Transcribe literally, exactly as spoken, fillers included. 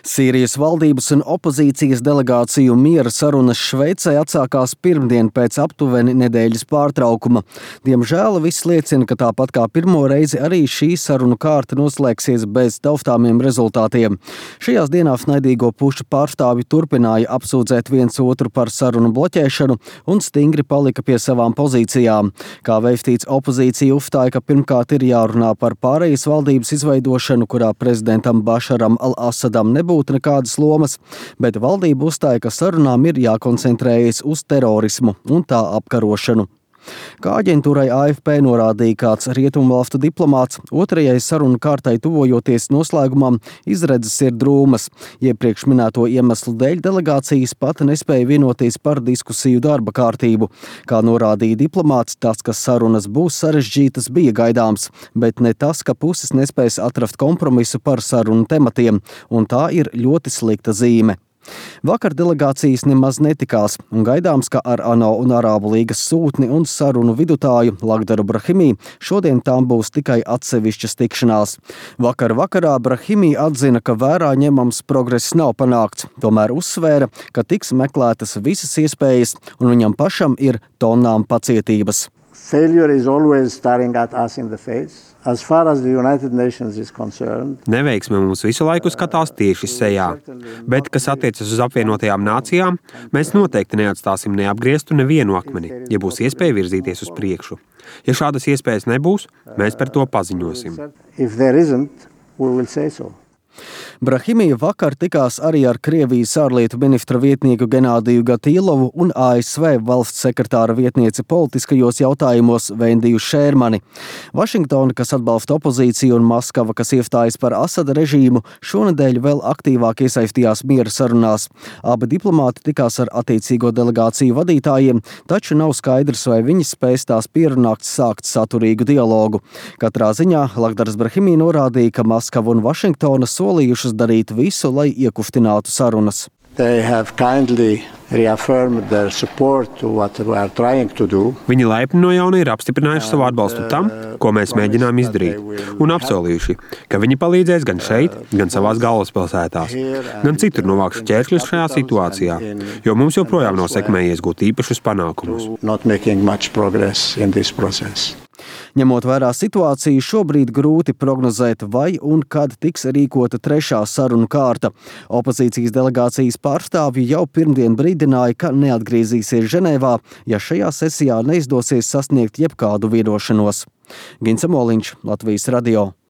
Sīrijas valdības un opozīcijas delegāciju miera sarunas Šveicē atsākās pirmdien pēc aptuveni nedēļas pārtraukuma. Diemžēl viss liecina, ka tāpat kā pirmo reizi arī šī sarunu kārta noslēgsies bez taustāmiem rezultātiem. Šajās dienās naidīgo pušu pārstāvji turpināja apsūdzēt viens otru par sarunu bloķēšanu un stingri palika pie savām pozīcijām. Kā veistīts, opozīcija uzstāja, ka pirmkārt ir jārunā par pārejas valdības izveidošanu, kurā prezidentam Bašaram al-Asadam nebūtu nekādas lomas, bet valdība uzstāja, ka sarunām ir jākoncentrējas uz terorismu un tā apkarošanu. Kā aģentūrai A F P norādīja kāds rietumvalstu diplomāts, otrajai sarunu kārtai tuvojoties noslēgumam izredzes ir drūmas. Iepriekš minēto iemeslu dēļ delegācijas pat nespēja vienoties par diskusiju darba kārtību. Kā norādīja diplomāts, tas, ka sarunas būs sarežģītas, bija gaidāms, bet ne tas, ka puses nespēs atrast kompromisu par sarunu tematiem, un tā ir ļoti slikta zīme. Vakar delegācijas nemaz netikās, un gaidāms, ka ar ANO un Arābu līgas sūtni un sarunu vidutāju Lagdaru Brahimī šodien tām būs tikai atsevišķas tikšanās. Vakar vakarā Brahimī atzina, ka vērā ņemams progress nav panākts, tomēr uzsvēra, ka tiks meklētas visas iespējas, un viņam pašam ir tonnām pacietības. Failure is always staring at us in the face. As far as the United Nations is concerned, Neveiksme mums visu laiku skatās tieši sejā, bet, kas attiecas uz apvienotajām nācijām, mēs noteikti neatstāsim neapgrieztu nevienu akmeni, ja būs iespēja virzīties uz priekšu. Ja šādas iespējas nebūs, mēs par to paziņosim. if there isn't, we will say so. Brahimī vakar tikās arī ar Krievijas ārlietu ministra vietnieku Genādiju Gatīlovu un A S V valsts sekretāra vietnieci politiskajos jautājumos Vendiju Šērmani. Vašingtona, kas atbalsta opozīciju, un Maskava, kas iestājas par Asada režīmu, šonedēļ vēl aktīvāk iesaistījās miera sarunās. Abi diplomāti tikās ar attiecīgo delegāciju vadītājiem, taču nav skaidrs, vai viņi spēs tās pierunāt sākt saturīgu dialogu. Katrā ziņā Lagdars Brahimī norādīja, ka Maskava un Vašingtona solījušas darīt visu, lai iekustinātu sarunas. They have kindly reaffirmed their support to what we are trying to do. Viņi laipni no jauna ir apstiprinājuši savu atbalstu tam, ko mēs mēģinām izdarīt, un apsolījuši, ka viņi palīdzēs gan šeit, gan savās galvaspilsētās, gan citur novākšu ķēršļus šajā situācijā, jo mums joprojām nav sekmējies gūt īpašus panākumus. Not making much progress in this process. Ņemot vērā situāciju, šobrīd grūti prognozēt, vai un kad tiks rīkota trešā sarunu kārta. Opozīcijas delegācijas pārstāvji jau pirmdien brīdināja, ka neatgriezīsies Ženēvā, ja šajā sesijā neizdosies sasniegt jebkādu vienošanos. Gins Amoliņš, Latvijas radio.